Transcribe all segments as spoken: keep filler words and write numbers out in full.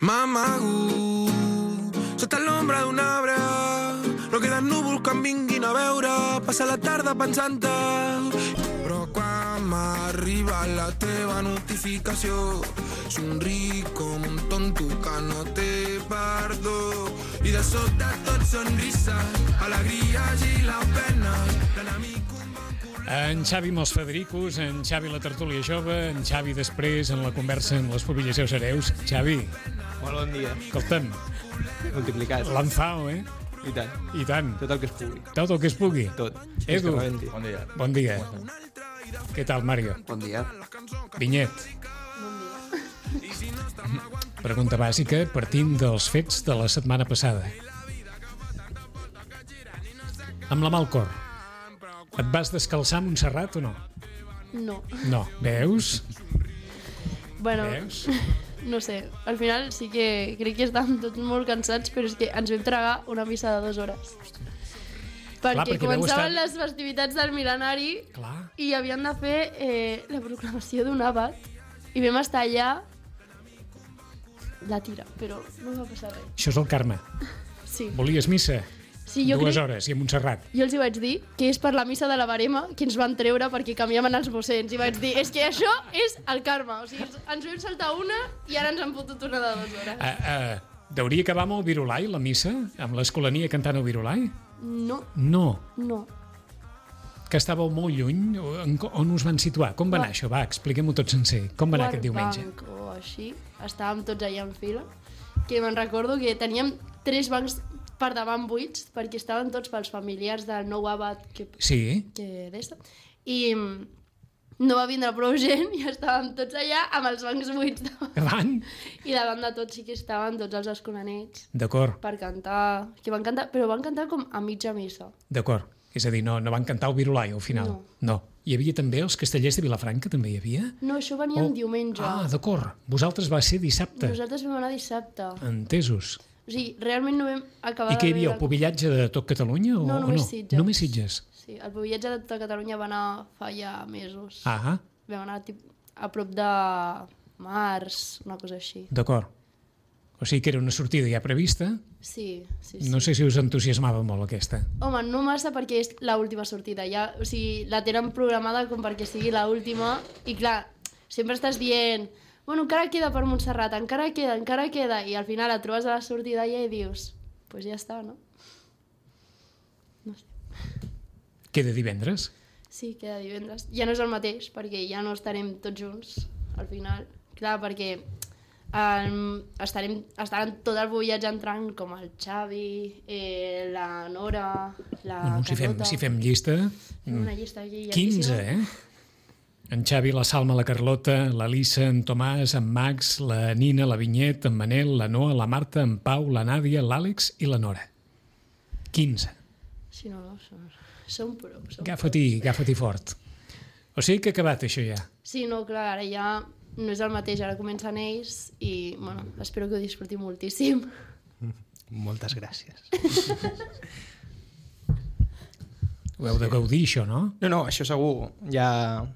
M'amago sota l'ombra d'un arbre, no queden núvols que em vinguin a veure, passa la tarda pensant-te, però quan m'arriba la teva notificació somric com un tonto que no té perdó, i de sobte tot sonrises, alegries i la pena, l'enemic. En Xavi amb els Federicos, en Xavi la tertúlia jove, en Xavi després en la conversa amb les Pobillasseus Hereus. Xavi, molt bon dia. Escolta'm, multiplicat. Lanzao, eh? I tant. I tant. Tot el que es pugui. Tot el que es pugui. Tot. Edu, bon dia. Bon dia. Què tal, Mario? Bon dia. Vinyet. Bon dia. Pregunta bàsica partint dels fets de la setmana passada. Amb la mà al cor. Et vas descalçar a Montserrat o no? No. No. Veus? Bueno, Veus? no sé. Al final sí que crec que estàvem tots molt cansats, però és que ens vam tragar una missa de dues hores. Perquè, Clar, perquè començaven estar... les festivitats del mil·lenari. Clar. I havien de fer eh, la proclamació d'un àbat i vam estar allà la tira, però no va passar res. Això és el karma. Sí. Volies missa? Sí, jo Dues crec... hores i a Montserrat. Jo els hi vaig dir que és per la missa de la Barema que ens van treure perquè canviaven els mossens. I vaig dir, és que això és el karma. O sigui, ens, ens vam saltar una i ara ens han fotut una de dues hores. Uh, uh, deuria acabar amb el Virulai, la missa? Amb l'Escolania cantant el Virulai? No, No. no. Que estàveu molt lluny? On, on us van situar? Com va anar això? Va, expliquem-ho tot sencer. Com va anar aquest diumenge? Banc o així. Estàvem tots allà en fila. Que me'n recordo que teníem tres bancs per davant buits, perquè estaven tots pels familiars del nou abat que, Sí. que d'esta. I no va vindre prou gent i estàvem tots allà amb els bancs buits davant. Davant? I davant de tots sí que estaven tots els escolanets D'acord, per cantar, que van cantar, però van cantar com a mitja missa. d'acord. És a dir, no, no van cantar el Virulai al final? No. No. Hi havia també els castellers de Vilafranca, també hi havia? No, això venia Oh. en diumenge. Ah, d'acord. Vosaltres va ser dissabte. Nosaltres vam anar dissabte. Entesos. O sigui, realment no vam acabar I què hi havia, de el pobillatge de tot Catalunya? O, No, o només no? Sitges. Només Sitges. Sí, el pobillatge de tota Catalunya va anar fa ja mesos. Ah, Vam anar tip, a prop de març, una cosa així. d'acord. O sigui que era una sortida ja prevista. Sí, sí, sí. No sé si us entusiasmava molt aquesta. Home, no massa perquè és l'última sortida. Ja, o sigui, la tenen programada com perquè sigui l'última i clar, sempre estàs dient bueno, encara queda per Montserrat, encara queda, encara queda, i al final et trobes a la sortida ja i dius, doncs pues ja està, no? No sé. Queda divendres? Sí, queda divendres. Ja no és el mateix, perquè ja no estarem tots junts, al final. Clar, perquè um, estarem, estaran tot el viatge entrant, com el Xavi, eh, la Nora, la Bueno, si fem, Carlota. si fem llista... Fem una llista aquí quinze, llarguíssima. eh? En Xavi, la Salma, la Carlota, la Lisa, en Tomàs, en Max, la Nina, la Vinyet, en Manel, la Noa, la Marta, en Pau, la Nàdia, l'Àlex i la Nora. quinze. Sí, no, no, som, som prou. Som Agafa-t'hi, agafa-t'hi fort. O sigui que ha acabat això ja. Sí, no, clar, ara ja no és el mateix, ara comencen ells i, bueno, espero que ho disfruti moltíssim. Moltes gràcies. Ho heu de gaudir, això, no? No, no, això segur. Ja...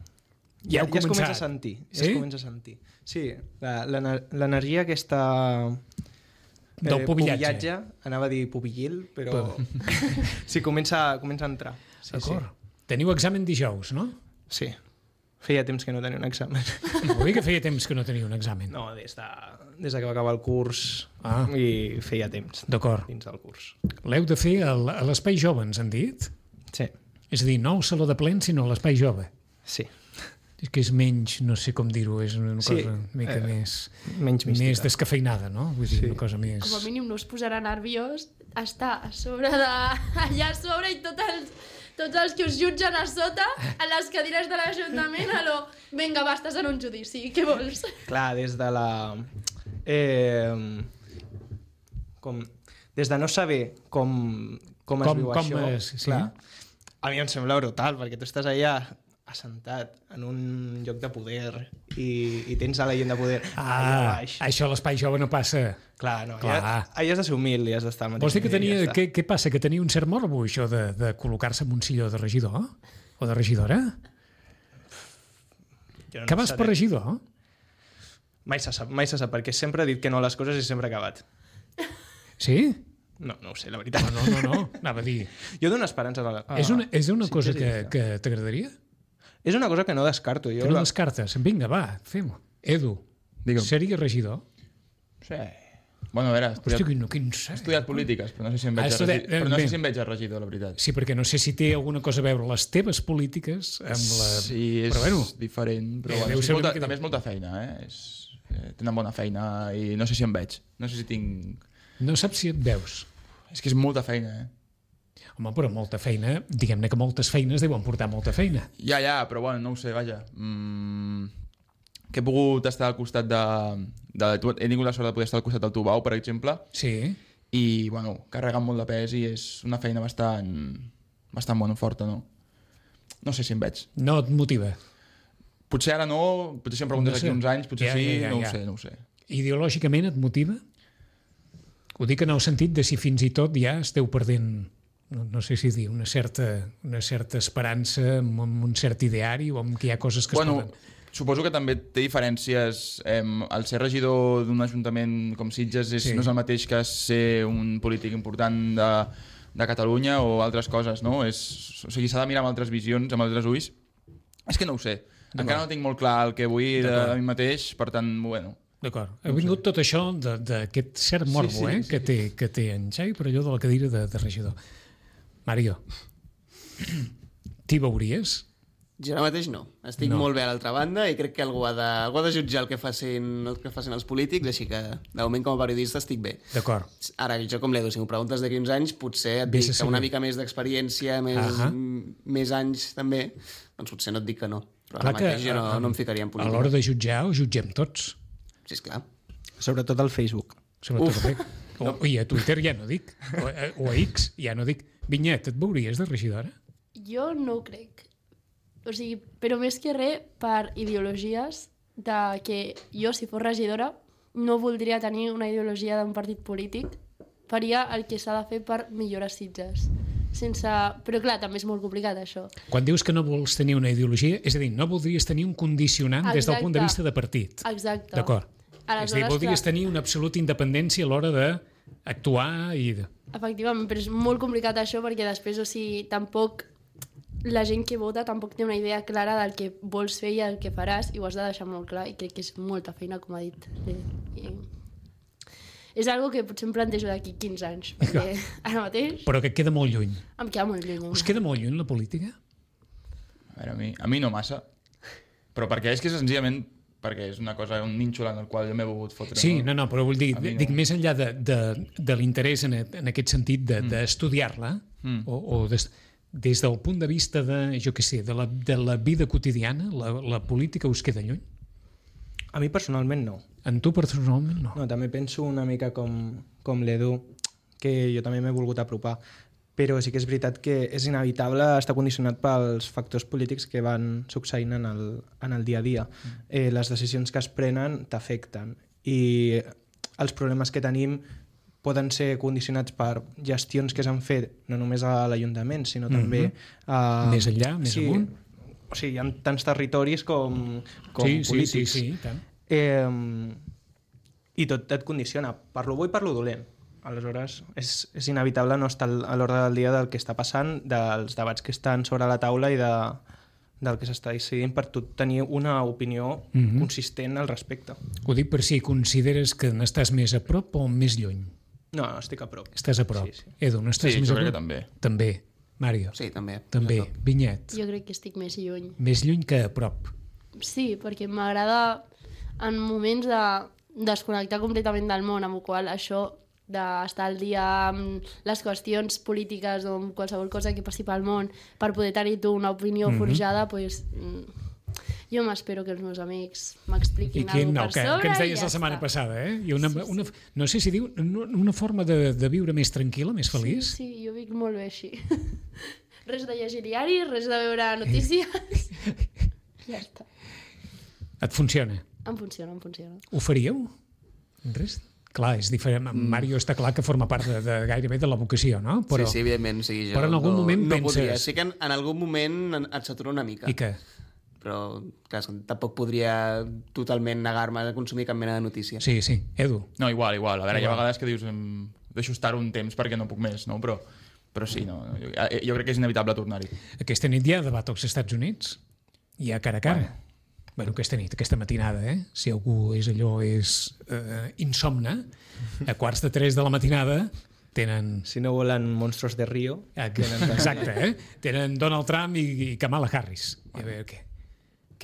Ja Ja, heu ja es comença començat. a sentir. Ja Sí? es comença a sentir. Sí, la- l'ener- l'energia aquesta... Del pobillatge. Anava a dir pubillil, però... sí, comença, comença a entrar. Sí, D'acord. Teniu examen dijous, no? Sí. sí. Feia temps que no tenia un examen. Vol dir que feia temps que no teniu un examen. No, des de, des de que va acabar el curs Ah. i feia temps D'acord. dins del curs. L'heu de fer al- a l'Espai Jove, ens han dit? Sí, És a dir, no al Saló de Plens, sinó a l'Espai Jove. sí. És que és menys, no sé com dir-ho, és una Sí, cosa una mica eh, més... menys mística. Més descafeinada, no? Vull dir, Sí. una cosa més... Com a mínim no us posarà nerviós estar a sobre de... allà a sobre i tots els, tots els que us jutgen a sota a les cadires de l'Ajuntament a lo... Vinga, va, estàs en un judici, què vols? Clar, des de la... Eh, com, des de no saber com, com es Com- viu com això, és, sí. clar, a mi em sembla brutal, perquè tu estàs allà assentat en un lloc de poder i, i tens a la gent de poder allà Ah, baix. això a l'Espai Jove no passa. Clar, no, Clar. Allà, allà has de ser humil i has d'estar al mateix Vols dir que nivell i tenia... ja està. Què, què passa? Que tenia un cert morbo, això de, de col·locar-se en un silló de regidor? O de regidora? Jo no Que vas seré- per regidor? Mai se sap, mai se sap, perquè sempre he dit que no a les coses i sempre he acabat. Sí? No, no ho sé, la veritat. No, no, no, no. Anava a dir... Jo dono esperances a la... A... És una, és una sí, cosa sí, que, sí. que t'agradaria? És una cosa que no descarto. Jo Que no la... descartes? Vinga, va, fem-ho. Edu, Digue'm. seria regidor? Sí. Bueno, a veure, he estudiat, Hòstia, quin, quin he sé. estudiat polítiques, però no sé si em Ah, veig, a estudiat- regi... però no bé. sé si em veig a regidor, la veritat. Sí, perquè no sé si té alguna cosa a veure les teves polítiques amb la... Sí, és Però bueno, diferent, però eh, bueno, deu és ser una molta, miqueta- també és molta feina, eh? És, eh? Tenen bona feina i no sé si em veig. No sé si tinc... no saps si et veus. És que és molta feina, eh? Home, però molta feina, diguem-ne que moltes feines deuen portar molta feina. Ja, ja, però bueno, no ho sé, vaja. Mm, que he pogut estar al costat de, de... He tingut la sort de poder estar al costat del Tubau, per exemple, Sí, i, bueno, carregant molt de pes i és una feina bastant, bastant bona, forta, no? No sé si em veig. no et motiva. Potser ara no, potser si em preguntes No sé. aquí uns anys, potser Ja, sí, ja, ja, no ja. ho sé, no ho sé. Ideològicament et motiva? Ho dic en el sentit de si fins i tot ja esteu perdent, no, no sé si dir, una certa, una certa esperança amb, amb un cert ideari o amb que hi ha coses que Bueno, es poden... suposo que també té diferències. Eh, el ser regidor d'un ajuntament com Sitges és, Sí. no és el mateix que ser un polític important de, de Catalunya o altres coses, no? És, o sigui, s'ha de mirar amb altres visions, amb altres ulls. És que no ho sé. Encara no tinc molt clar el que vull de, de mi mateix, per tant, bueno... D'acord. Ha vingut tot això de- d'aquest cert morbo Sí, sí, eh, sí. que, té, que té en Xavi per allò de la cadira de, de regidor. Mario, t'hi veuries? Jo ara mateix no. Estic No. no. molt bé a l'altra banda i crec que algú ha de, algú ha de jutjar el que, facin, el que facin els polítics, així que de moment com a periodista estic bé. D'acord. Ara, jo com l'Edu, si m'ho preguntes d'aquí uns anys, potser et Vés a dic que saber. una mica més d'experiència, més, Ahà. m- més anys també, doncs potser no et dic que no. Però Clar ara que mateix jo no, a- no em ficaria en A política. l'hora de jutjar, ho jutgem tots. Sí, esclar. Sobretot al Facebook. Sobretot Uf. bé. O, I a Twitter ja no dic. O, o a X ja no dic. Vinyet, et veuries de regidora? Jo no ho crec. O sigui, però més que res per ideologies de que jo, si fos regidora, no voldria tenir una ideologia d'un partit polític. Faria el que s'ha de fer per millorar Sitges. Sense... Però clar, també és molt complicat això. Quan dius que no vols tenir una ideologia, és a dir, no voldries tenir un condicionant des del Exacte. punt de vista de partit. Exacte. D'acord. Aleshores, És a dir, voldries clar, tenir una absoluta independència a l'hora d'actuar i... De... efectivament, però és molt complicat això perquè després, o sigui, tampoc la gent que vota tampoc té una idea clara del que vols fer i el que faràs i ho has de deixar molt clar i crec que és molta feina, com ha dit. I, i... És algo que potser em plantejo d'aquí quinze anys, perquè ara mateix Però que et queda molt lluny. em queda molt lluny. Us queda molt lluny la política? A veure, a mi, a mi no massa. Però perquè és que senzillament perquè és una cosa, un nínxol en el qual jo m'he volgut fotre. Sí, no, no, però vull dir, A mi no. dic més enllà de, de, de l'interès en, en aquest sentit d'estudiar-la, de, Mm. o, o des, des del punt de vista de, jo què sé, de la, de la vida quotidiana, la, la política us queda lluny? A mi personalment no. En tu personalment no. No, també penso una mica com, com l'Edu, que jo també m'he volgut apropar, però sí que és veritat que és inevitable estar condicionat pels factors polítics que van succeint en el, en el dia a dia. Eh, les decisions que es prenen t'afecten i els problemes que tenim poden ser condicionats per gestions que s'han fet no només a l'Ajuntament, sinó també a... Més enllà, més sí, amunt. O sigui, hi ha tants territoris com, com sí, sí, polítics. sí, sí, i tant. Eh, I tot et condiciona, per lo bo i per lo dolent. Aleshores, és, és inevitable no estar a l'ordre del dia del que està passant, dels debats que estan sobre la taula i de, del que s'està decidint per tu tenir una opinió Mhm. consistent al respecte. Ho dic per si consideres que n'estàs més a prop o més lluny. No, no, estic a prop. Estàs a prop. Sí, sí. Edu, n'estàs Sí, més jo a crec prop? que també. També. Mario? Sí, també. També. A prop. Vinyet? Jo crec que estic més lluny. Més lluny que a prop. Sí, perquè m'agrada en moments de desconnectar completament del món, amb el qual això d'estar al dia amb les qüestions polítiques o amb qualsevol cosa que passi pel món per poder tenir tu una opinió Mhm. forjada, pues, mm, jo m'espero que els meus amics I m'expliquin quin, alguna no, cosa que, per sobre que ens i deies ja la setmana està. passada, eh? I una, Sí, sí. una, no sé si diu una, una forma de, de viure més tranquil·la, més feliç. Sí, sí, jo vic molt bé així. Res de llegir diaris, res de veure notícies. Ja està. Et funciona? Em funciona, em funciona. Ho faríeu? Res? Clar, és diferent. Mm. Mario està clar que forma part de, de gairebé de la vocació, no? Però, Sí, sí, evidentment. O sigui, jo però en algun no, moment no penses- podria. Sí que en, en algun moment en- et satura una mica. I què? però clar, tampoc podria totalment negar-me a consumir cap mena de notícia. Sí, sí. Edu? No, igual, igual. A veure, Igual. hi ha vegades que dius em... deixo estar un temps perquè no puc més, no? Però, però sí, no, jo, jo crec que és inevitable tornar-hi. Aquesta nit hi ha debat als Estats Units? Hi ha cara a cara? Bueno, bueno aquesta nit, aquesta matinada, eh? Si algú és allò, és eh, insomne, a quarts de tres de la matinada tenen... Si no volen Monstruos de Rio... Tenen, exacte, eh? Tenen Donald Trump i, i Kamala Harris. I a veure què.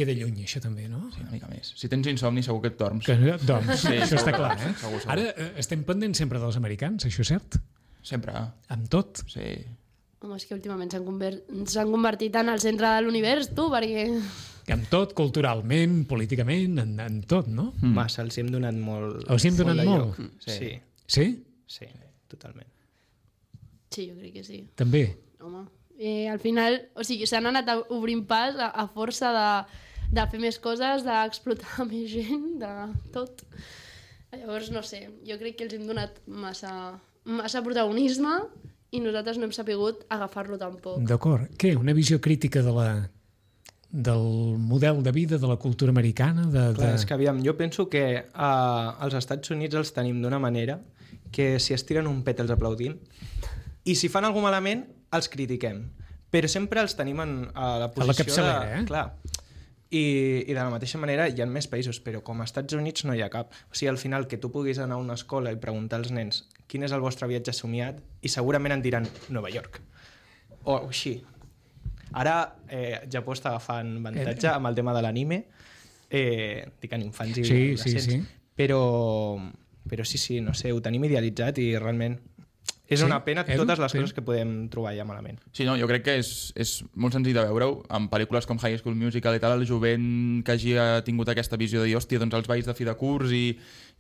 Queda lluny, això també, no? Sí, una mica més. Si tens insomni, segur que et dorms. Que, doncs, Sí, això està segur, clar, eh? segur, segur. Ara eh, estem pendents sempre dels americans, això és cert? Sempre. Amb tot. Sí. Home, és que últimament s'han conver... s'han convertit en el centre de l'univers, tu, perquè... Amb tot, culturalment, políticament, en, en tot, no? Mm. Massa, els hi hem donat molt... Els hi hem donat de molt? lloc. Sí. Sí? Sí, totalment. Sí, jo crec que sí. També? Home, eh, al final, o sigui, s'han anat obrint pas a, a força de, de fer més coses, d'explotar més gent, de tot. Llavors, no sé, jo crec que els hem donat massa, massa protagonisme i nosaltres no hem sapigut agafar-lo tampoc. D'acord. Què? Una visió crítica de la, del model de vida, de la cultura americana? De, Clar, de... és que aviam, jo penso que uh, als Estats Units els tenim d'una manera que si es tiren un pet els aplaudim i si fan alguna malament els critiquem, però sempre els tenim en, a la posició a la capçalera, de... eh? Clar. I, I de la mateixa manera hi ha més països, però com als Estats Units no hi ha cap. O sigui, al final, que tu puguis anar a una escola i preguntar als nens quin és el vostre viatge somiat i segurament en diran Nova York. O així. Ara eh, Japó està agafant avantatge amb el tema de l'anime, eh, dic en infants i Sí, adolescents, sí, sí. Però, però sí, sí, no sé, ho tenim idealitzat i realment és Sí? una pena Edu? totes les Sí. coses que podem trobar ja malament. Sí, no, jo crec que és, és molt senzill de veure-ho. En pel·lícules com High School Musical i tal, el jovent que hagi tingut aquesta visió de dir, hòstia, doncs els balls de fi de curs i,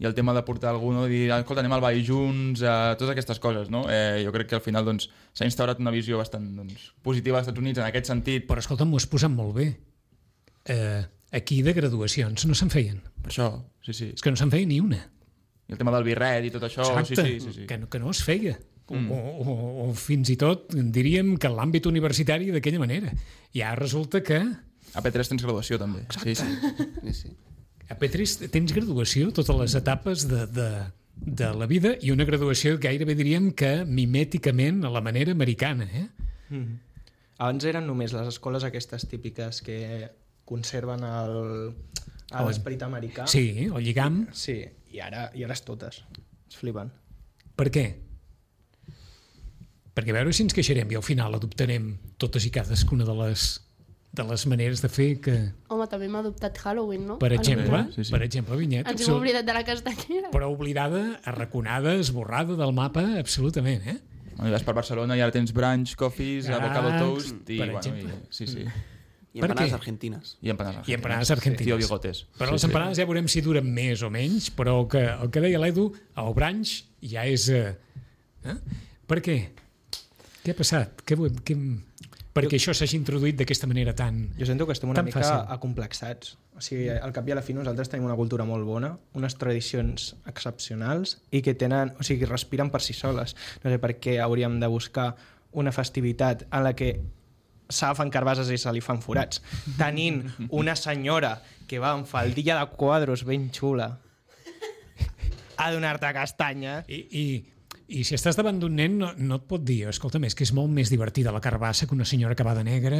i el tema de portar algú, no? Dir, escolta, anem al ball junts, eh, totes aquestes coses, no? Eh, jo crec que al final doncs, s'ha instaurat una visió bastant doncs, positiva als Estats Units en aquest sentit. Però escolta, m'ho has posat molt bé. Eh, aquí de graduacions no se'n feien. Per això, sí, sí. És que no se'n feia ni una. I el tema del birret i tot això, Exacte, sí, sí, sí, sí. Que, no, que no es feia. Mm. O, o, o fins i tot diríem que en l'àmbit universitari d'aquella manera. I ara resulta que A P tres tens graduació també. Sí, sí. Sí, sí. a P tres tens graduació, totes les etapes de, de, de la vida, i una graduació gairebé diríem que mimèticament a la manera americana. Eh? Mm. Abans eren només les escoles aquestes típiques que conserven el- l'esperit americà. Sí, el lligam. Sí, i ara, i ara és totes. Es flipen. Per què? Perquè a veure si ens queixarem i al final adoptarem totes i cadascuna de les, de les maneres de fer que, Home, també m'ha adoptat Halloween, no? per Al exemple, final. Sí, sí. per exemple, Vinyet, Ens hem absolut- oblidat de la castanyera. però oblidada, arraconada, esborrada del mapa, absolutament, eh? Bueno, i vas per Barcelona i ara tens brunch, coffees, Ah, avocado toast i, per bueno, exemple. i, sí, sí. I Per empanades què? argentines. I empanades I empanades argentines. Tío bigotes. Però les empanades ja veurem si duren més o menys, però el que, el que deia l'Edu, el brunch ja és... Eh? Eh? Per què? Què ha passat? Què, vo- què... Perquè això s'hagi introduït d'aquesta manera tan... Jo sento que estem una Tan mica fàcil. acomplexats. O sigui, al cap i a la fi nosaltres tenim una cultura molt bona, unes tradicions excepcionals i que tenen, o sigui, respiren per si soles. No sé per què hauríem de buscar una festivitat en la que s'agafen carbases i se li fan forats. Tenint una senyora que va amb faldilla de quadros ben xula a donar-te castanya. I, i, I si estàs davant d'un nen no, no et pot dir, escolta, és que és molt més divertida la carbassa que una senyora que va de negre,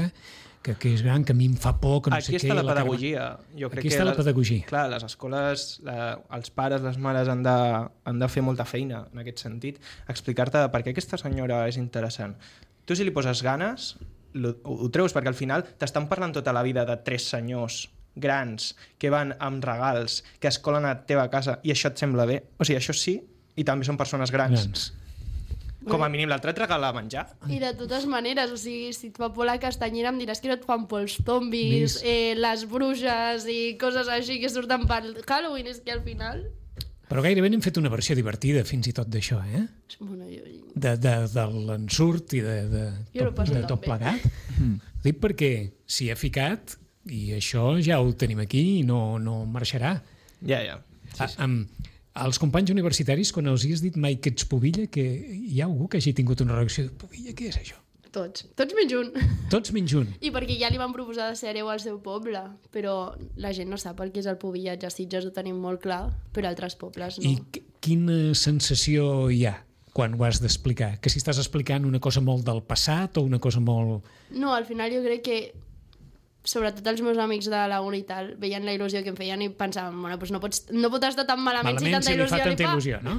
que, que és gran, que a mi em fa por, que no Aquí sé què... està la carba- pedagogia. Jo crec Aquí que està la les- pedagogia. Clar, les escoles, la, els pares, les mares han de, han de fer molta feina en aquest sentit. Explicar-te per què aquesta senyora és interessant. Tu si li poses ganes, lo, ho, ho treus, perquè al final t'estan parlant tota la vida de tres senyors grans que van amb regals, que es colen a la teva casa i això et sembla bé. O sigui, això sí, i també són persones grans. Grans. Com a mínim l'altre et regala menjar. I de totes maneres, o sigui, si et fa por la castanyera em diràs que no et fan por els zombis, Vis. eh, les bruixes i coses així que surten pel Halloween, és que al final... Però gairebé n'hem fet una versió divertida fins i tot d'això, eh? Bueno, jo... De, de, de l'ensurt i de, de, Jo no tot, passo de tot tan bé. plegat. Dic perquè s'hi ha ficat i això ja ho tenim aquí i no, no marxarà. Ja, ja. Sí, sí. Amb, als companys universitaris, quan els hi has dit mai que ets pubilla, que hi ha algú que hagi tingut una reacció de pubilla, què és això? Tots. Tots menys un. Tots menys un. I perquè ja li van proposar de ser hereu al seu poble, però la gent no sap el que és el pubillatge. A Sitges ho tenim molt clar, però altres pobles no. I qu- quina sensació hi ha quan ho has d'explicar? Que si estàs explicant una cosa molt del passat o una cosa molt... No, al final jo crec que sobretot els meus amics de la uni i tal veien la il·lusió que em feien i pensaven, bueno, doncs no, pots, no pot estar tan malament, Malament si tanta si li il·lusió fa tanta li fa. il·lusió, no?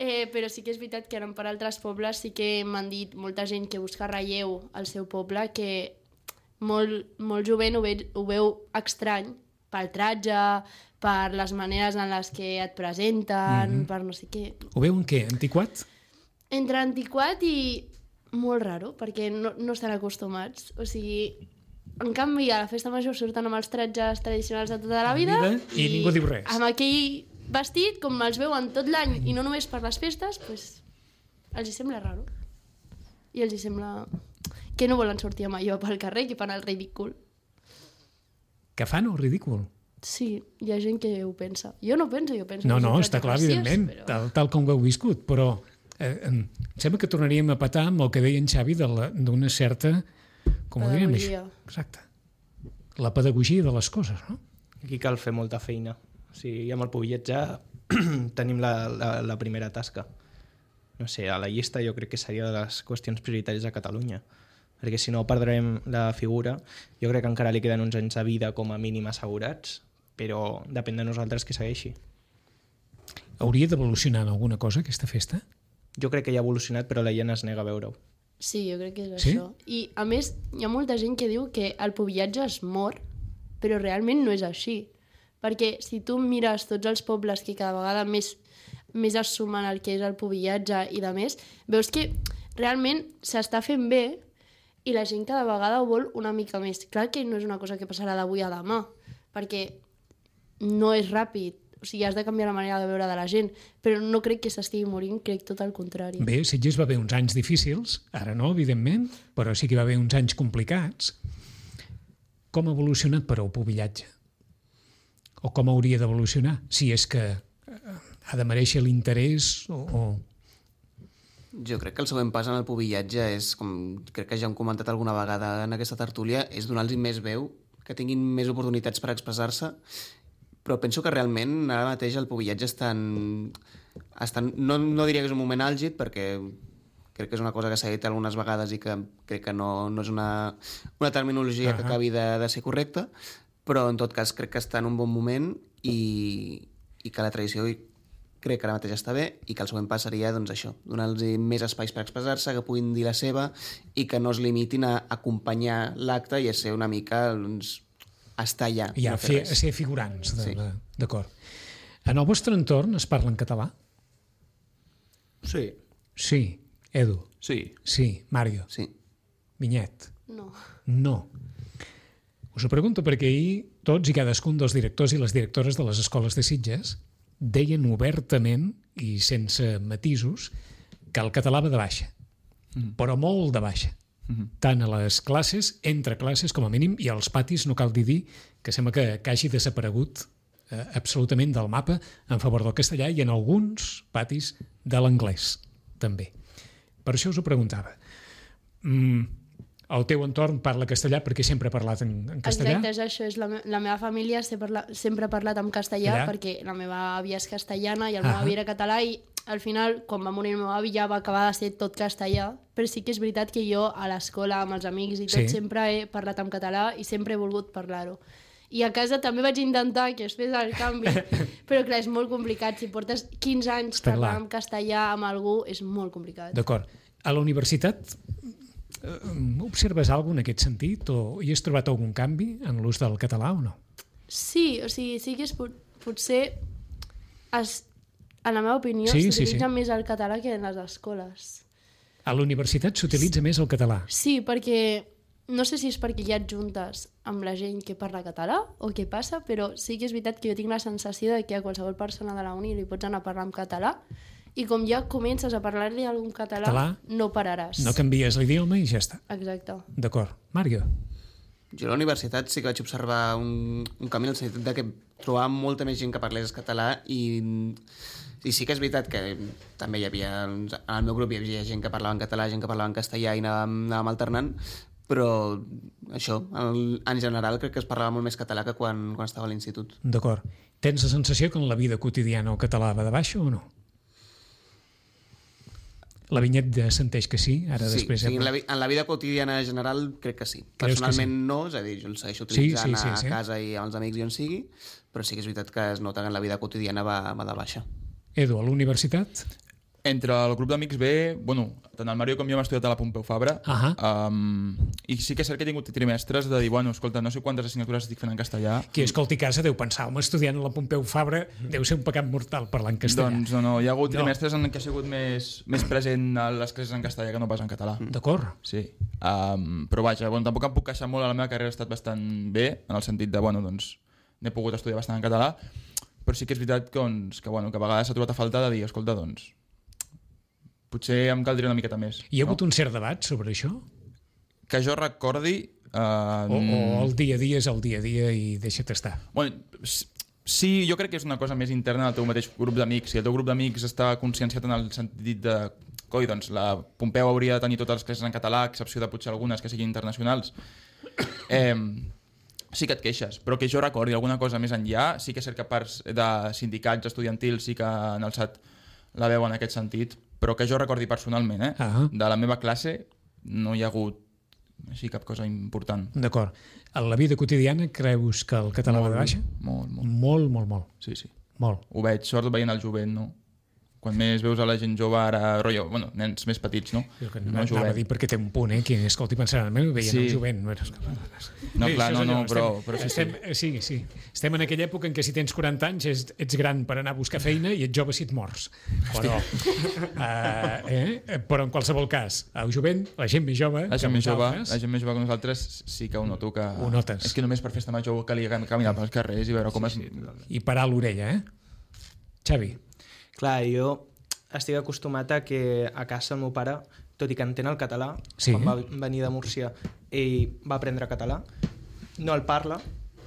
Eh, però sí que és veritat que anant per altres pobles sí que m'han dit molta gent que busca relleu al seu poble que molt, molt jovent ho, ve, ho veu estrany pel tratge, per les maneres en les que et presenten, mm-hmm. per no sé què. Ho veu en què? Antiquat? Entre antiquat i molt raro, perquè no, no estan acostumats. O sigui, en canvi, a la festa major surten amb els tratges tradicionals de tota la vida, vida i, i ningú diu res. amb aquell vestit, com els veuen tot l'any i no només per les festes, pues, els hi sembla raro. I els hi sembla que no volen sortir amb allò pel carrer, que fan el ridícul. Que fan el ridícul? Sí, hi ha gent que ho pensa. Jo no penso, jo penso... No, que és no, un està tratge clar, graciós, evidentment, però... tal, tal com ho heu viscut, però eh, em sembla que tornaríem a patar amb el que deia en Xavi de la- d'una certa... Com ho diríem, Pedagogia. això? Exacte. La pedagogia de les coses, no? Aquí cal fer molta feina. O sigui, amb el pubillatge tenim la, la, la primera tasca. No sé, a la llista jo crec que seria de les qüestions prioritàries a Catalunya, perquè si no perdrem la figura. Jo crec que encara li queden uns anys de vida com a mínim assegurats, però depèn de nosaltres que segueixi. Hauria d'evolucionar en alguna cosa aquesta festa? Jo crec que ja ha evolucionat, però la gent es nega a veure-ho. Sí, jo crec que és Sí? això. I, a més, hi ha molta gent que diu que el pubillatge es mor, però realment no és així. Perquè si tu mires tots els pobles que cada vegada més, més es sumen al que és el pubillatge i de més, veus que realment s'està fent bé i la gent cada vegada ho vol una mica més. Clar que no és una cosa que passarà d'avui a demà, perquè no és ràpid, o sigui, has de canviar la manera de veure de la gent, però no crec que s'estigui morint, crec tot el contrari. Bé, Sitges va haver uns anys difícils, ara no, evidentment, però sí que va haver uns anys complicats. Com ha evolucionat, però, el pubillatge? O com hauria d'evolucionar? Si és que eh, ha de mereixer l'interès o... o... Jo crec que el següent pas en el pubillatge és, com crec que ja hem comentat alguna vegada en aquesta tertúlia, és donar-los més veu, que tinguin més oportunitats per expressar-se, però penso que realment ara mateix el pubillatge està en... Està en... No, no diria que és un moment àlgid, perquè crec que és una cosa que s'ha dit algunes vegades i que crec que no, no és una, una terminologia uh-huh. que acabi de, de ser correcta, però en tot cas crec que està en un bon moment i, i que la tradició crec que ara mateix està bé i que el següent pas seria doncs, això, donar-los més espais per expressar-se, que puguin dir la seva i que no es limitin a acompanyar l'acte i a ser una mica doncs, estar allà. Ja, no fer, fer res. ser figurants. De, Sí. de, d'acord. En el vostre entorn es parla en català? Sí. Sí. Edu? Sí. Sí. Mario? Sí. Vinyet? No. No. Us ho pregunto perquè ahir tots i cadascun dels directors i les directores de les escoles de Sitges deien obertament i sense matisos que el català va de baixa, mm. però molt de baixa. Mm-hmm. Tant a les classes, entre classes com a mínim, i als patis no cal dir dir que sembla que, que hagi desaparegut eh, absolutament del mapa en favor del castellà i en alguns patis de l'anglès també. Per això us ho preguntava. Mm, el teu entorn parla castellà perquè sempre ha parlat en, en castellà? Exacte, és això. És la, me la meva família sempre, parla sempre ha parlat en castellà Allà? perquè la meva àvia és castellana i el Ah. meu avi era català i al final, quan va morir el meu avi, ja va acabar de ser tot castellà, però sí que és veritat que jo a l'escola, amb els amics i tot, Sí. sempre he parlat en català i sempre he volgut parlar-ho. I a casa també vaig intentar que es fes el canvi, però clar, és molt complicat. Si portes quinze anys Està parlant clar. en castellà amb algú, és molt complicat. D'acord. A la universitat eh, observes alguna en aquest sentit o hi has trobat algun canvi en l'ús del català o no? Sí, o sigui, sí que és, pot, potser es, en la meva opinió Sí, sí, s'utilitza sí. més el català que en les escoles. A la universitat s'utilitza més el català. Sí, perquè no sé si és perquè ja et juntes amb la gent que parla català o què passa, però sí que és veritat que jo tinc la sensació de que a qualsevol persona de la uni li pots anar a parlar en català i com ja comences a parlar-li algun català, Català, no pararàs. No canvies l'idioma i ja està. Exacte. D'acord. Mario? Jo a la universitat sí que vaig observar un, un canvi en el sentit de que trobava molta més gent que parlés català i, i sí que és veritat que també hi havia, en el meu grup hi havia gent que parlava en català, gent que parlava en castellà i anàvem, anàvem alternant, però això, en, en general crec que es parlava molt més català que quan, quan estava a l'institut. D'acord. Tens la sensació que en la vida quotidiana el català va de baixa o no? La Vinyet senteix que sí, ara sí, després... Sí, en la, en la vida quotidiana en general crec que sí. Creus Personalment que sí? no, és a dir, jo el segueixo utilitzant sí, sí, sí, a sí. casa i amb els amics i on sigui, però sí que és veritat que es nota que en la vida quotidiana va, va de baixa. Edu, a la universitat? Entre el grup d'amics ve, bueno, tant el Mario com jo hem estudiat a la Pompeu Fabra, Ahà. um, i sí que és cert que he tingut trimestres de dir, bueno, escolta, no sé quantes assignatures estic fent en castellà. Qui escolti casa deu pensar, home, estudiant a la Pompeu Fabra deu ser un pecat mortal parlar en castellà. Doncs no, no, hi ha hagut No. trimestres en què ha sigut més, més present a les classes en castellà que no pas en català. D'acord. Sí, um, però vaja, bueno, tampoc em puc queixar molt, a la meva carrera ha estat bastant bé, en el sentit de, bueno, doncs, n'he pogut estudiar bastant en català, però sí que és veritat que, doncs, que, bueno, que a vegades s'ha trobat a falta de dir, escolta, doncs, potser em caldria una miqueta més. Hi ha no? hagut un cert debat sobre això? Que jo recordi... Uh, O, o el dia a dia és el dia a dia i deixa't estar? Bueno, sí, jo crec que és una cosa més interna del teu mateix grup d'amics. Si el teu grup d'amics està conscienciat en el sentit de coi, doncs la Pompeu hauria de tenir totes les classes en català, a excepció de potser algunes que siguin internacionals, eh, sí que et queixes. Però que jo recordi alguna cosa més enllà, sí que és cert que parts de sindicats estudiantils sí que han alçat la veu en aquest sentit, però que jo recordi personalment, eh? Ah. De la meva classe no hi ha hagut així cap cosa important. D'acord. A la vida quotidiana creus que el català va de baixa? Molt, molt. Molt, molt, molt. Sí, sí. Molt. Ho veig, sort veient el jovent, no? Quan més veus a la gent jove ara, rotllo, bueno, nens més petits, no? Jo que No no, anava a dir perquè té un punt, eh? Qui escolti pensarà, no, veient Sí. el jovent. No, No, Bé, clar, això és no, no, allò, però, estem, però sí, estem, sí. sí, sí. Estem en aquella època en què si tens quaranta anys és, ets gran per anar a buscar feina i ets jove si et mors. Però, uh, eh? però en qualsevol cas, el jovent, la gent més jove, La que gent més jove, nosaltres, la gent més jove que nosaltres sí que ho noto que... Ho notes. És que només per festa major calia caminar pels carrers i veure com es... i parar l'orella, eh? Xavi, Clar, jo estic acostumat a que a casa el meu pare, tot i que entén el català, Sí. quan va venir de Múrcia, ell va aprendre català, no el parla,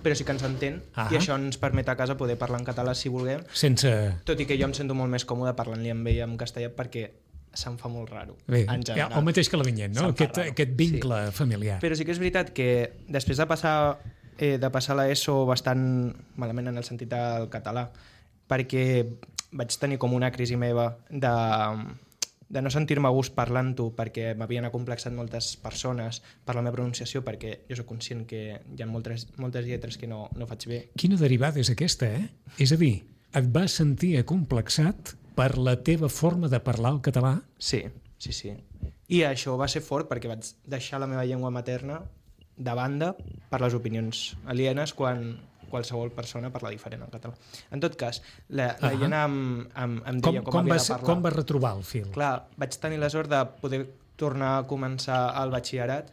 però sí que ens entén, Ah. i això ens permet a casa poder parlar en català si vulguem, sense... tot i que jo em sento molt més còmode parlant-li amb ell en castellà perquè se'm fa molt raro, Bé, en general. el mateix que la Vinyet, no? Se'm fa Aquest, raro. aquest vincle sí. familiar. Però sí que és veritat que després de passar, eh, de passar l'ESO bastant malament en el sentit del català, perquè vaig tenir com una crisi meva de, de no sentir-me a gust parlant-ho perquè m'havien acomplexat moltes persones per la meva pronunciació, perquè jo soc conscient que hi ha moltes, moltes lletres que no, no faig bé. Quina derivada és aquesta, eh? És a dir, et vas sentir acomplexat per la teva forma de parlar el català? Sí, sí, sí. I això va ser fort perquè vaig deixar la meva llengua materna de banda per les opinions alienes quan qualsevol persona parla diferent en català. En tot cas, la, la Ah. Iena em, em, em Com, deia com, com, havia vas, de parlar. com vas retrobar el fil? Clar, vaig tenir la sort de poder tornar a començar el batxillerat,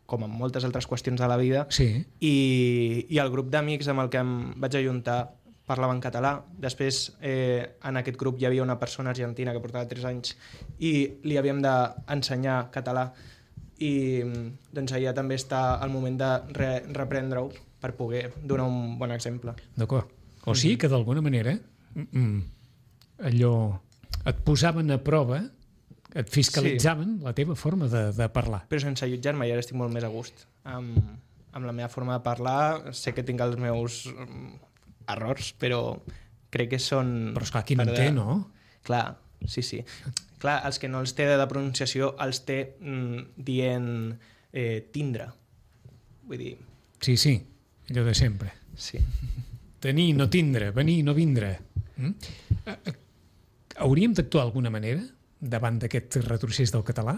com en moltes altres qüestions de la vida, Sí. i, i el grup d'amics amb el que em vaig ajuntar parlava en català. Després, eh, en aquest grup hi havia una persona argentina que portava tres anys i li havíem d'ensenyar català, i doncs allà també està el moment de re reprendre-ho per poder donar un bon exemple. D'acord. O sigui que d'alguna manera mm, mm, allò et posaven a prova, et fiscalitzaven sí. la teva forma de, de parlar. Però sense jutjar-me, ja estic molt més a gust amb, amb la meva forma de parlar. Sé que tinc els meus mm, errors, però crec que són... Però esclar, qui no per en té, de- no? Clar, sí, sí. Clar, els que no els té de pronunciació els té mm, dient eh, tindre. Vull dir, Sí, sí, allò de sempre. sí. Tenir, no tindre, venir, no vindre. Mm? Eh, eh, Hauríem d'actuar d'alguna manera davant d'aquest retrocés del català?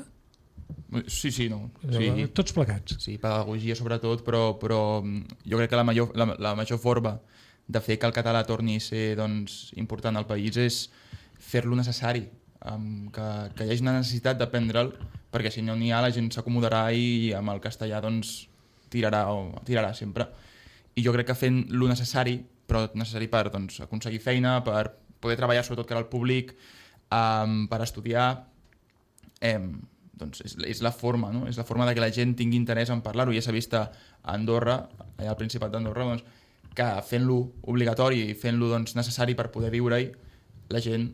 Sí, sí, no. Sí. Sí, Tots plegats. sí, pedagogia sobretot, però, però jo crec que la major, la, la major forma de fer que el català torni a ser doncs, important al país és fer-lo necessari, um, que, que hi hagi una necessitat d'aprendre'l, perquè si no n'hi ha la gent s'acomodarà i amb el castellà doncs, tirarà, o, tirarà sempre. I jo crec que fent lo necessari, però necessari per doncs, aconseguir feina, per poder treballar sobretot cara al públic, um, per estudiar, eh, doncs és, és la forma, no? És la forma de que la gent tingui interès en parlar-ho. Ja s'ha vist a Andorra, allà al Principat d'Andorra, doncs, que fent-lo obligatori i fent-lo doncs, necessari per poder viure-hi, la gent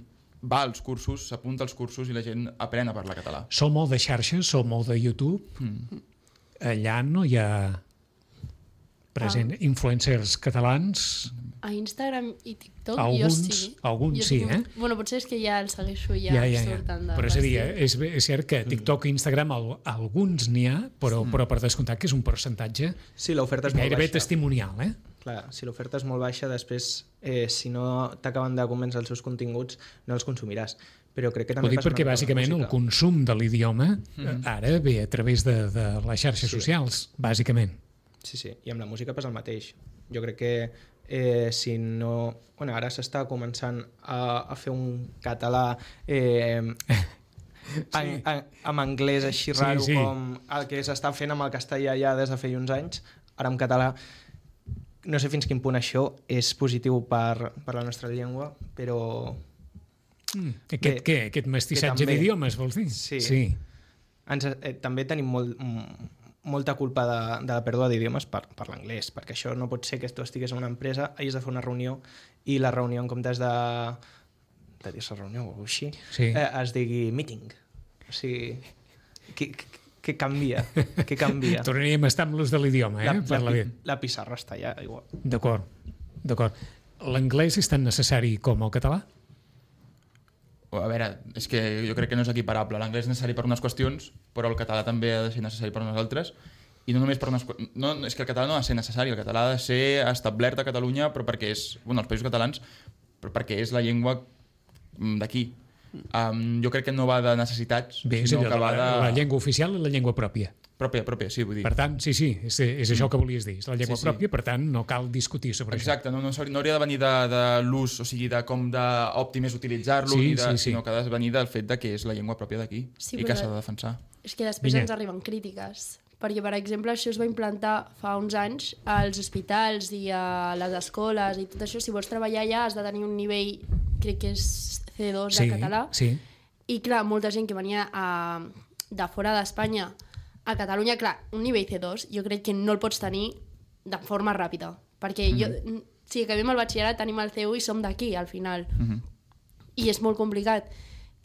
va als cursos, s'apunta als cursos i la gent aprèn a parlar català. Sou molt de xarxes, sou molt de YouTube. Mm. Allà no hi ha present ah. influencers catalans. A Instagram i TikTok alguns, jo sí. Alguns jo sí, sí, eh? Bueno, potser és que ja el segueixo ja, ja, ja, ja. surten de... Però és a dir, és, és cert que TikTok i Instagram al, alguns n'hi ha, però, mm. però per descomptat que és un percentatge sí, l'oferta és molt gairebé baixa. testimonial, eh? Clar, si l'oferta és molt baixa, després, eh, si no t'acaben de convèncer els seus continguts, no els consumiràs. Però crec que també ho dic passa perquè bàsicament el consum de l'idioma mm. ara ve a través de, de les xarxes sí. socials, bàsicament. Sí, sí, i amb la música passa el mateix. Jo crec que eh, si no... Bueno, ara s'està començant a, a fer un català eh, sí. en, en, amb anglès així raro sí, sí. com el que s'està fent amb el castellà ja des de feia uns anys, ara en català. No sé fins quin punt això és positiu per, per la nostra llengua, però... Mm. Aquest, bé, què? Aquest mestissatge d'idiomes, vols dir? Sí. sí. Ens, eh, també tenim molt... molta culpa de, de la pèrdua d'idiomes per, per l'anglès, perquè això no pot ser que tu estigues en una empresa, hagis de fer una reunió i la reunió en comptes de, de dir-se reunió o així, sí. eh, es digui meeting. O sigui, què, què canvia? Què canvia? Tornaríem a estar amb l'ús de l'idioma, eh? La, per la, la, la pissarra està allà, igual. D'acord, d'acord. L'anglès és tan necessari com el català? A veure, és que jo crec que no és equiparable. L'anglès és necessari per unes qüestions, però el català també ha de ser necessari per unes altres. I no només per unes... No, és que el català no ha de ser necessari, el català ha de ser establert a Catalunya, però perquè és... Bueno, als països catalans, però perquè és la llengua d'aquí. Um, jo crec que no va de necessitats, bé, sinó que va de... La llengua oficial i la llengua pròpia. Pròpia, pròpia, sí, vull dir. Per tant, sí, sí, és, és això que volies dir, és la llengua sí, sí. pròpia, per tant, no cal discutir sobre Exacte, això. No, no, no hauria de venir de, de l'ús, o sigui, de com d'òptim és utilitzar-lo, sí, sí, sí. sinó que ha de venir del fet de que és la llengua pròpia d'aquí sí, i que s'ha de defensar. És que després Vinya. ens arriben crítiques, perquè, per exemple, això es va implantar fa uns anys als hospitals i a les escoles i tot això. Si vols treballar allà has de tenir un nivell, crec que és C dos de sí, català, sí. i clar, molta gent que venia a, de fora d'Espanya a Catalunya, clar, un nivell C dos jo crec que no el pots tenir de forma ràpida, perquè mm -hmm. jo, si acabem el batxillerat tenim el C u i som d'aquí al final, mm -hmm. i és molt complicat.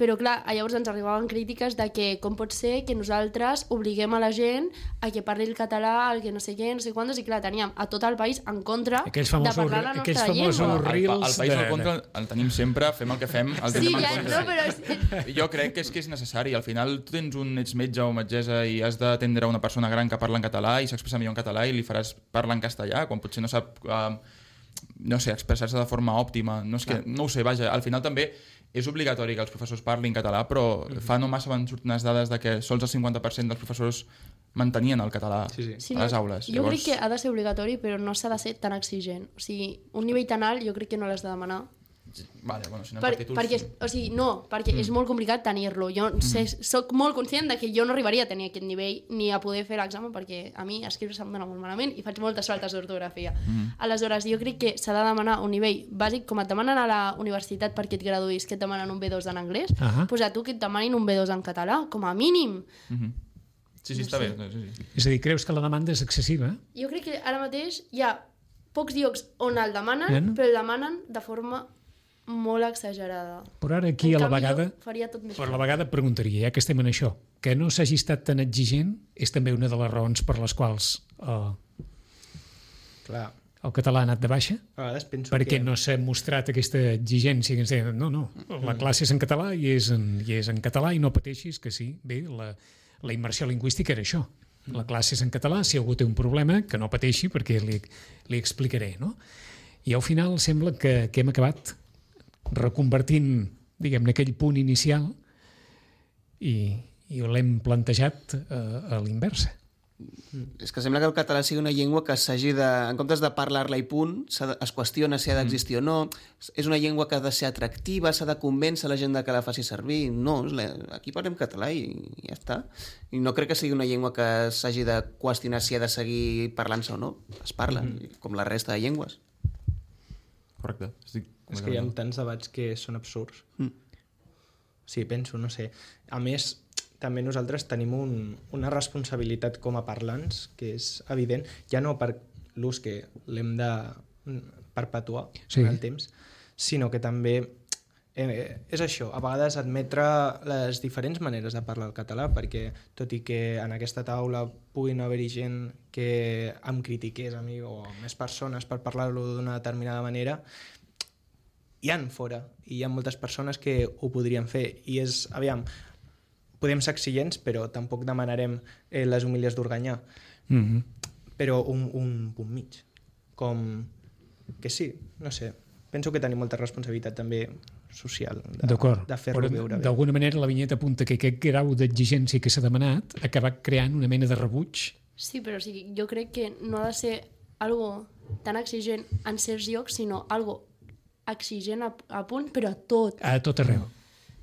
Però clar, llavors ens arribaven crítiques de que com pot ser que nosaltres obliguem a la gent a que parli el català, el que no sé què, no sé quantos, i clar, teníem a tot el país en contra de parlar la nostra llengua. El, el país en contra el tenim sempre, fem el que fem, el tenim sí, en ja, contra. No, però... Jo crec que és que és necessari. Al final tu tens un, ets metge o metgessa i has d'atendre una persona gran que parla en català i s'expressa millor en català i li faràs parlar en castellà quan potser no sap... Uh, no sé, expressar-se de forma òptima. No, és que, no ho sé, vaja, al final també és obligatori que els professors parlin català, però mm-hmm. fa no massa van sortir unes dades de que sols el cinquanta per cent dels professors mantenien el català sí, sí. Sí, a les aules. Jo Llavors... crec que ha de ser obligatori, però no s'ha de ser tan exigent. O sigui, un nivell tan alt jo crec que no l'has de demanar. Vale, bueno, si per, per títols... Perquè, o sigui, no, perquè mm. és molt complicat tenir-lo. Jo mm. sé, soc molt conscient de que jo no arribaria a tenir aquest nivell ni a poder fer l'examen, perquè a mi escriure se'm dona molt malament i faig moltes faltes d'ortografia. Mm. Aleshores, jo crec que s'ha de demanar un nivell bàsic, com et demanen a la universitat perquè et graduïs, que et demanen un B dos en anglès, uh -huh. doncs a tu que et demanin un B dos en català, com a mínim. Mm -hmm. Sí, sí, no està sé. bé. Sí, sí. És a dir, creus que la demanda és excessiva? Jo crec que ara mateix hi ha pocs llocs on el demanen, yeah. però el demanen de forma molt exagerada. Però ara aquí en a la vegada, faria tot més per la vegada preguntaria, ja que estem en això, que no s'hagi estat tan exigent és també una de les raons per les quals eh, Clar. el català ha anat de baixa? A vegades penso perquè que... no s'ha mostrat aquesta exigència que ens deien, no, no, la classe és en català i és en, i és en català i no pateixis que sí, bé, la, la immersió lingüística era això. La classe és en català, si algú té un problema, que no pateixi perquè li, li explicaré, no? I al final sembla que, que hem acabat reconvertint, diguem-ne, aquell punt inicial i, i l'hem plantejat a, a l'inversa. És que sembla que el català sigui una llengua que s'hagi de, en comptes de parlar-la i punt, de, es qüestiona si ha d'existir mm. o no, és una llengua que ha de ser atractiva, s'ha de convèncer la gent de que la faci servir. No, aquí parlem català i, i ja està. I no crec que sigui una llengua que s'hagi de qüestionar si ha de seguir parlant-se o no. Es parla, mm. com la resta de llengües. Correcte. Estic és que hi ha tants debats que són absurds. Mm. Sí, penso, no sé. A més, també nosaltres tenim un, una responsabilitat com a parlants, que és evident, ja no per l'ús que l'hem de perpetuar Sí. en el temps, sinó que també eh, és això, a vegades admetre les diferents maneres de parlar el català, perquè tot i que en aquesta taula puguin haver-hi gent que em critiqués a mi o més persones per parlar-lo d'una determinada manera, hi han fora, i hi ha moltes persones que ho podrien fer, i és, aviam, podem ser exigents, però tampoc demanarem eh, les humilies d'Organyà, Mm-hmm. però un, un punt mig, com que sí, no sé, penso que tenim molta responsabilitat també social de, D'acord, de fer-lo però veure bé. d'alguna manera la vinyeta apunta que aquest grau d'exigència que s'ha demanat ha acabat creant una mena de rebuig. Sí, però o sigui, jo crec que no ha de ser algo tan exigent en certs llocs, sinó algo exigent a, a punt, però a tot. A tot arreu.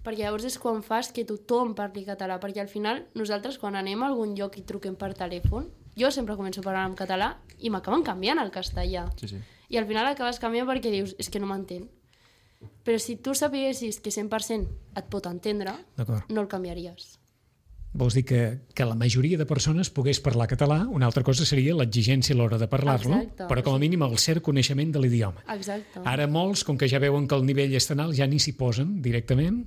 Perquè llavors és quan fas que tothom parli català, perquè al final nosaltres quan anem a algun lloc i truquem per telèfon, jo sempre començo a parlar en català i m'acaben canviant al castellà. Sí, sí. I al final acabes canviant perquè dius, és que no m'entén. Però si tu sapiguessis que cent per cent et pot entendre, D'acord. no el canviaries. Vols dir que, que la majoria de persones pogués parlar català, una altra cosa seria l'exigència a l'hora de parlar-lo, Exacte, però com a sí. mínim el cert coneixement de l'idioma. Exacte. Ara molts, com que ja veuen que el nivell és tan alt, ja ni s'hi posen directament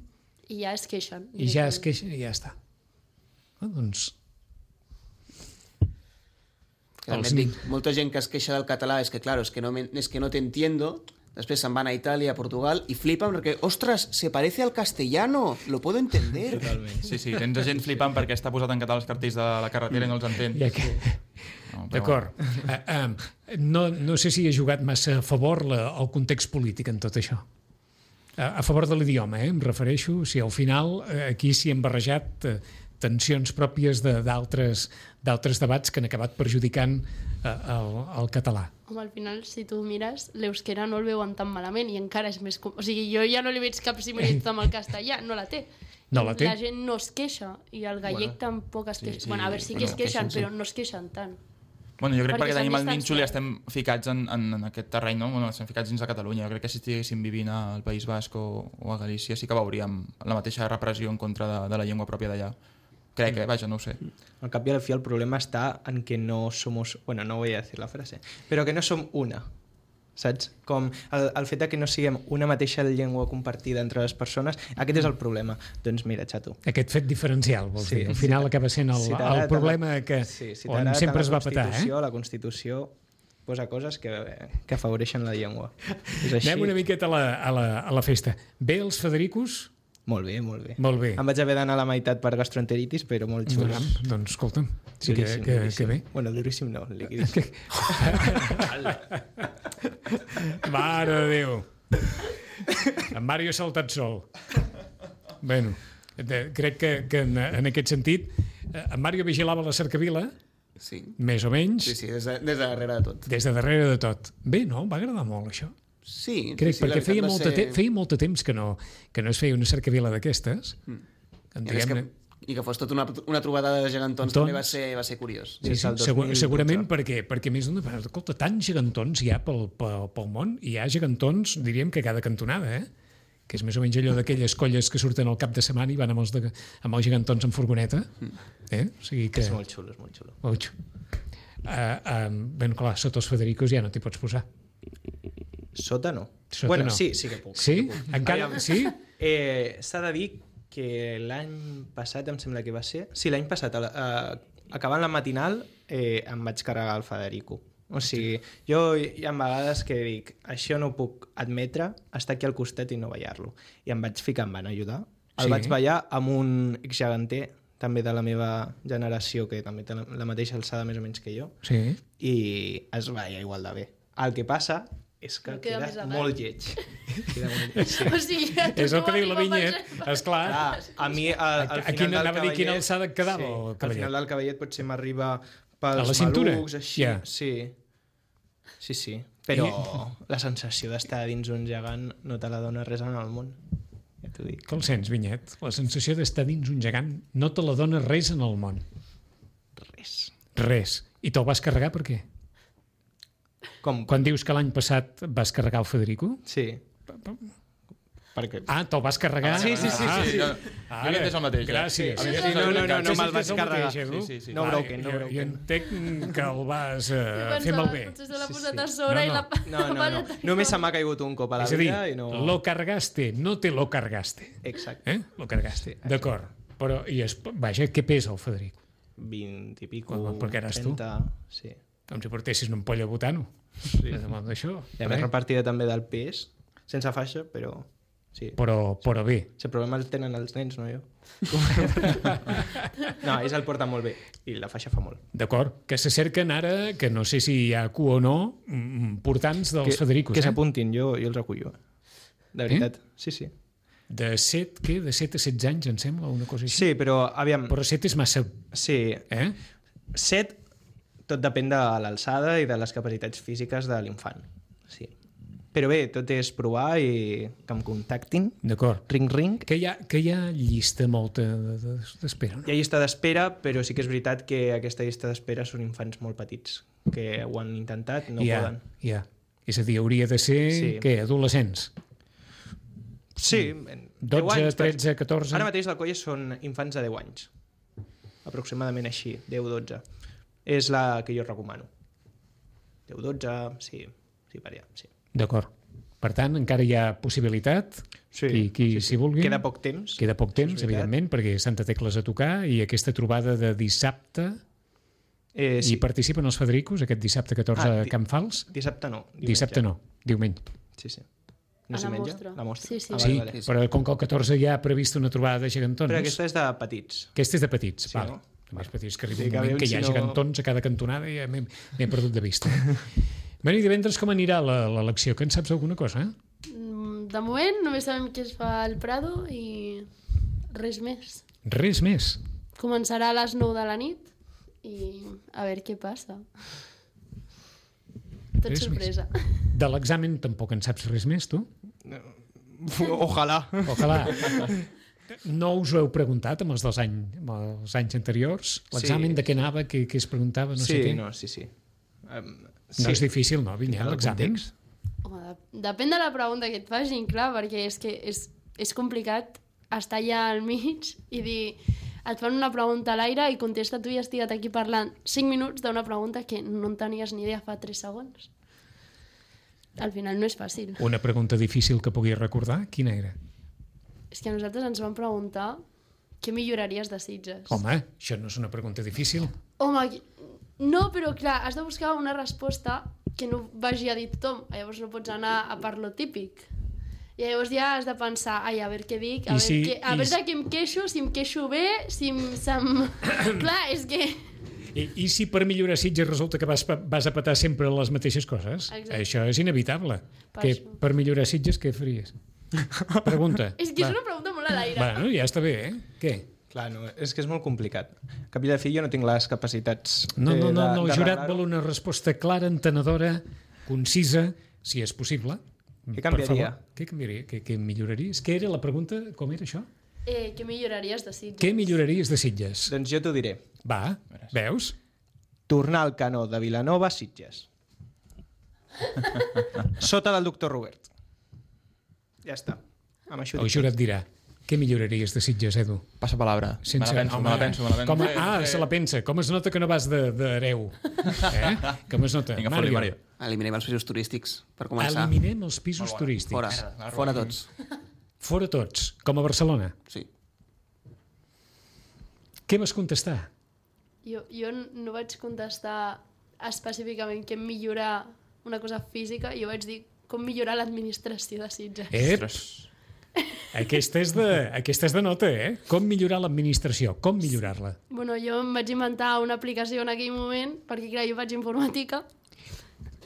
I ja es queixen. i ja es queixen i ja està. Ah, doncs... Que també et dic, molta gent que es queixa del català és que, claro, es que no, me, es que no te entiendo, després se'n van a Itàlia, a Portugal, i flipen perquè, ostras, se parece al castellano, lo puedo entender. Totalment. Sí, sí, tens gent flipant perquè està posat en català els cartells de la carretera i no els entén. Ja que... No, però D'acord. Uh, uh, no, no sé si he jugat massa a favor la, el context polític en tot això. A, a favor de l'idioma, eh, em refereixo. Si al final eh, aquí s'hi han barrejat eh, tensions pròpies de- d'altres d'altres debats que han acabat perjudicant eh, el, el català. Home, al final, si tu mires, l'euskera no el veuen tan malament i encara és més... com- O sigui, jo ja no li veig cap similitud amb el castellà, no la té. No la té. La gent no es queixa i el gallec Bueno, tampoc es queixa. sí, Bueno, a veure, sí que bueno, es queixen, queixen, sí. però no es queixen tant. Bueno, jo crec Perquè perquè, s'han tenim el nínxol i distanciat. estem ficats en, en, en aquest terreny, no? Bueno, estem ficats dins de Catalunya. Jo crec que si estiguéssim vivint al País Basc o, o a Galícia sí que veuríem la mateixa repressió en contra de, de la llengua pròpia d'allà. Crec, eh? Vaja, no ho sé. Al cap i al fi el problema està en que no somos... Bueno, no voy a decir la frase, però que no som una, saps? Com el, el fet de que no siguem una mateixa llengua compartida entre les persones, aquest és el problema. Doncs mira, xato. Aquest fet diferencial, vols Sí, dir. Al sí. final acaba sent el, Si el t'agrada problema tant- que, sí, si on t'agrada sempre tant es va la petar. Eh? Constitució, la Constitució posa coses que, que afavoreixen la llengua. És així. Anem una miqueta a la, a la, a la festa. Bé els Federicos? Molt bé, molt bé. Molt bé. Em vaig haver d'anar a la meitat per gastroenteritis, però molt xulos. Doncs, doncs escolta'm, sí que, Duríssim, que, duríssim. que bé. Bueno, duríssim no, liquidíssim. Mare de Déu. En Mario ha saltat sol. Bueno, de, crec que, que en, en aquest sentit eh, en Mario vigilava la cercavila, Sí, més o menys, sí, sí des, de, des de darrere de tot. des de darrere de tot. Bé, no? Va agradar molt, això. Sí, Crec, sí, sí, la perquè veritat feia, va molta ser- te feia molt de temps que no, que no es feia una cercavila d'aquestes. Mm. En, I, a més que, diguem-ne, I que fos tota una, una trobada de gegantons Tons. també va ser, va ser curiós. Sí, Des sí, del segur, dos mil segurament dotze. perquè, perquè més d'una... Escolta, tants gegantons hi ha pel, pel, pel món, hi ha gegantons, diríem que a cada cantonada, eh? Que és més o menys allò d'aquelles colles que surten al cap de setmana i van amb els, de, amb els gegantons en furgoneta. Eh? O sigui que... És molt xulo, és molt xulo. Molt xulo. Uh, uh, ben clar, sota els Federicos ja no t'hi pots posar. Sota no. Sota bueno, no. sí, sí que puc. Sí? que puc. Encara- Aviam, sí? Eh, S'ha de dir que l'any passat, em sembla que va ser... Sí, l'any passat, a la- a, acabant la matinal, eh, em vaig carregar el Federico. O sigui, jo hi ha vegades que dic, això no ho puc admetre, estar aquí al costat i no ballar-lo. I em vaig ficar, em van ajudar. El Sí. vaig ballar amb un exgeganter, també de la meva generació, que també té la, la mateixa alçada més o menys que jo, Sí. i es balla igual de bé. El que passa és que Queda més queda a dalt. molt lleig. Queda molt lleig, sí. O sigui, a tu És el no que diu la arriba vinyet, per- esclar. Clar, a mi al, al A- a final quina- del anava a dir quina cavallet- alçada et quedava, sí, el al cavallet? final del cavallet potser m'arriba A pels la cintura? malucs, així. Ja. Sí. Sí, sí. Però la sensació d'estar dins un gegant no te la dona res en el món. Ja t'ho dic. Que el sents, Vinyet? La sensació d'estar dins un gegant no te la dona res en el món. Res. Res. I te'l vas carregar per què? Com? Quan dius que l'any passat vas carregar el Federico? Sí. Perquè... Ah, te'l vas carregar? Sí, sí, sí, Ah, sí, sí. Jo, jo he entès el mateix. eh? Gràcies. A mi Sí, sí, no, no, no, no Sí, me'l sí, vaig és el carregar. mateix, Edu. Sí, sí, sí. No Vale, broken, no jo, broken. jo entenc que el vas uh, Jo fer malbé. potser se l'ha posat a sí. sobre No, i no. la... No, no, no. Només se m'ha caigut un cop a la És a dir, vida i no... lo cargaste, no te lo cargaste. Exacte. Eh? Lo cargaste. D'acord. Però, i es, vaja, què pesa el Federic? vint i pico, Home, perquè eres tu. trenta... Sí. Com si portessis una ampolla de butano. Sí. D'això. I a més repartida també del pes, sense faixa, però... Sí. Però, però bé. Si el problema el tenen els nens, no jo. No, ells el porten molt bé i la faixa fa molt. D'acord. Que se cerquen ara, que no sé si hi ha cu o no, mm, portants dels que, Federicos. Que eh? s'apuntin, jo, jo els recullo. De veritat, eh? sí, sí. De set, què? De set a setze anys, em sembla, una cosa així. Sí, però, aviam... Però set és massa... Sí, Eh? set, tot depèn de l'alçada i de les capacitats físiques de l'infant. Sí. Però bé, tot és provar i que em contactin. D'acord. Ring, ring. Que hi ha, que hi ha llista molta de- de- d'espera, no? Hi ha llista d'espera, però sí que és veritat que aquesta llista d'espera són infants molt petits, que ho han intentat, no hi ha, poden. hi ha. És a dir, hauria de ser, Sí. què, adolescents? Sí, en dotze, deu anys, però tretze, catorze... Ara mateix l'Alcoia són infants de deu anys. Aproximadament així, deu dotze. És la que jo recomano. deu dotze, sí, sí, per allà, sí. D'acord. Per tant, encara hi ha possibilitat, Sí, qui, qui sí, sí. s'hi vulgui. Queda poc temps. Queda poc temps, és veritat. evidentment, perquè Santa Tecles a tocar i aquesta trobada de dissabte, Eh, sí. sí. hi participen els Federicos, aquest dissabte catorze Ah, a di- Can Fals? Dissabte no. Diumenge. Dissabte no, diumenge. Sí, sí. A No la s'hi menja? mostra. La mostra. Sí, sí. Ah, Sí, vale, vale. però com que el catorze ja ha previst una trobada de gegantons... Però aquesta és de petits. Aquesta és de petits, Sí, val. no? De més petits que arriba Sí, un que moment aviam que hi ha si no- gegantons a cada cantonada i ja m'he m'he perdut de vista. Bueno, i divendres com anirà la- l'elecció? Que en saps alguna cosa? Eh? Mm, De moment només sabem què es fa al Prado i res més. Res més. Començarà a les nou de la nit i a veure què passa. Tot Res sorpresa. De l'examen tampoc en saps res més, tu? Ojalà. Ojalà. No us ho heu preguntat amb els dels any, amb els anys anteriors? L'examen Sí. de què anava, què, què es preguntava, no sí, sé què? no, sí, sí. Um, No és difícil, no, Vinyà, El l'examen? context. Home, de- depèn de la pregunta que et facin, clar, perquè és que és, és complicat estar allà al mig i dir et fan una pregunta a l'aire i contesta tu i has estat aquí parlant cinc minuts d'una pregunta que no en tenies ni idea fa tres segons. Al final no és fàcil. Una pregunta difícil que puguis recordar, quina era? És que a nosaltres ens van preguntar què milloraries de Sitges. Home, això no és una pregunta difícil. Home, qui- no, però clar, has de buscar una resposta que no vagi a dir tothom. Llavors no pots anar a per lo típic. I llavors ja has de pensar, ai, a veure què dic, a I veure, si- què, a i veure si- de què em queixo, si em queixo bé, si em... Se'm... clar, és que... I, I si per millorar Sitges resulta que vas, pa- vas a petar sempre les mateixes coses? Exacte. Això és inevitable. Per Que això. per millorar Sitges, què faries? Pregunta. És que Va. és una pregunta molt a l'aire. Bueno, ja està bé, eh? Què? Clar, no, és que és molt complicat. Cap i a la fi jo no tinc les capacitats No, no, eh, no, de, no el de jurat arreglar-ho. vol una resposta clara, entenedora, concisa, si és possible. Què Per canviaria? favor. Què canviaria? Què, què milloraries? Què era la pregunta? Com era això? Eh, què milloraries de Sitges? Què milloraries de Sitges? Doncs jo t'ho diré. Va, veus? Tornar al canó de Vilanova a Sitges. Sota del doctor Robert. Ja està. Amb això ho El dic. jurat dirà. Què milloraries de Sitges, Edu? Passa palabra. Sense... Me la penso, Home, me la penso, me la penso. Com a... Sí, Ah, sí. se la pensa. Com es nota que no vas de- d'hereu? Eh? Com es nota? Vinga, fora, Mario. Eliminem els pisos turístics, per començar. Eliminem els pisos turístics. Fora, fora tots. Fora tots, com a Barcelona. Sí. Què vas contestar? Jo, jo no vaig contestar específicament què millorar una cosa física, jo vaig dir com millorar l'administració de Sitges. Ep, aquesta és, de, aquesta és de nota, eh? Com millorar l'administració, com millorar-la. Bueno, jo em vaig inventar una aplicació en aquell moment, perquè clar, jo faig informàtica,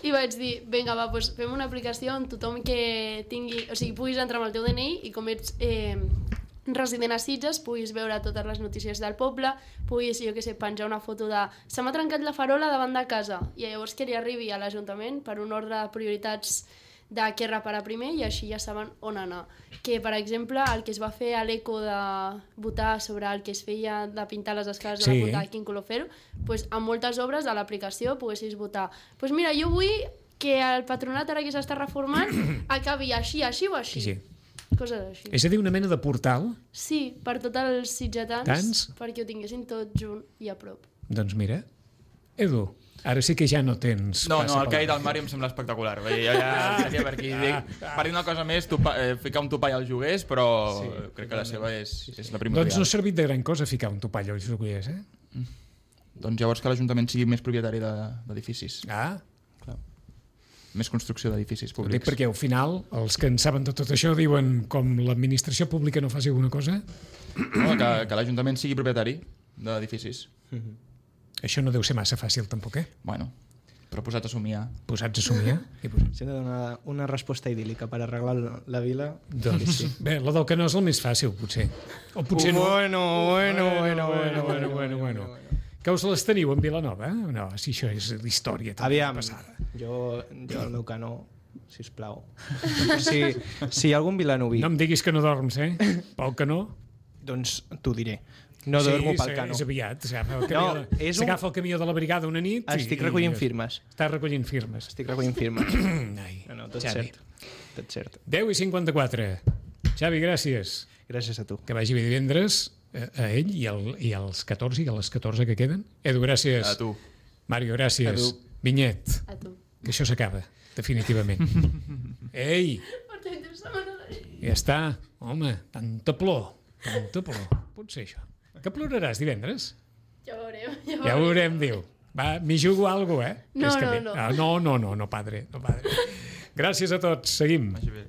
i vaig dir, vinga, va, doncs fem una aplicació on tothom que tingui... O sigui, puguis entrar amb el teu D N I i com ets eh, resident a Sitges, puguis veure totes les notícies del poble, puguis, jo què sé, penjar una foto de se m'ha trencat la farola davant de casa, i llavors que li arribi a l'Ajuntament per un ordre de prioritats de què reparar primer i així ja saben on anar. Que, per exemple, el que es va fer a l'Eco de votar sobre el que es feia de pintar les escales de Sí. la punta de quin color fer-ho, doncs amb moltes obres a l'aplicació poguessis votar. Doncs mira, jo vull que el patronat ara que s'està reformant acabi així, així o així. Sí. coses així. És a dir, una mena de portal? Sí, per tots els sitgetans, Tants? perquè ho tinguessin tot junt i a prop. Doncs mira, Edu, ara sí que ja no tens... No, no, el passapalabra. que ha dit el Mario em sembla espectacular. Vull dir, ja, ja seria per aquí. Dic, per dir una cosa més, topa, eh, ficar un topall als joguers, però sí, crec que la seva és, és la primordial. Doncs no ha servit de gran cosa ficar un topall als joguers, eh? Doncs llavors que l'Ajuntament sigui més propietari de- d'edificis. Ah, Més construcció d'edificis ho dic públics. perquè al final els que en saben de tot això diuen com l'administració pública no faci alguna cosa, No, que, que l'Ajuntament sigui propietari d'edificis. això no deu ser massa fàcil tampoc, eh? Bueno, però posat a somiar. Posats a somiar. I posats... Si hem de donar una resposta idíl·lica per arreglar la vila... Doncs, bé, la del que no és el més fàcil, potser. O potser no. Bueno, bueno, bueno, bueno, bueno, bueno, bueno. Que us les teniu en Vilanova, eh? No, si això és història també Aviam, passada. jo, jo el meu canó, sisplau. Si, si hi ha algun vilanoví, No em diguis que no dorms, eh? Pel que no. doncs t'ho diré. No dormo pel sí, canó. és aviat. S'agafa el, No, camió de- és un- s'agafa el camió de la brigada una nit i- Estic i- recollint firmes. Estàs recollint firmes. Estic recollint firmes. Ai, No, no, tot Xavi. cert. Tot cert. deu i cinquanta-quatre. Xavi, gràcies. Gràcies a tu. Que vagi bé divendres a, a ell i, el, i als catorze i a les catorze que queden. Edu, gràcies. A tu. Mario, gràcies. A tu. Vinyet, A tu. que això s'acaba, definitivament. Ei, Portem tres setmanes. ja està. Home, tanta plor, tanta plor. Pot ser això. Que ploraràs divendres? Ja ho veurem. Ja, Ja ho veurem, diu. Va, m'hi jugo alguna cosa, eh? No, És que no, bé. no. Ah, no, no, no, no, padre, no, padre. Gràcies a tots, seguim. Vagi bé.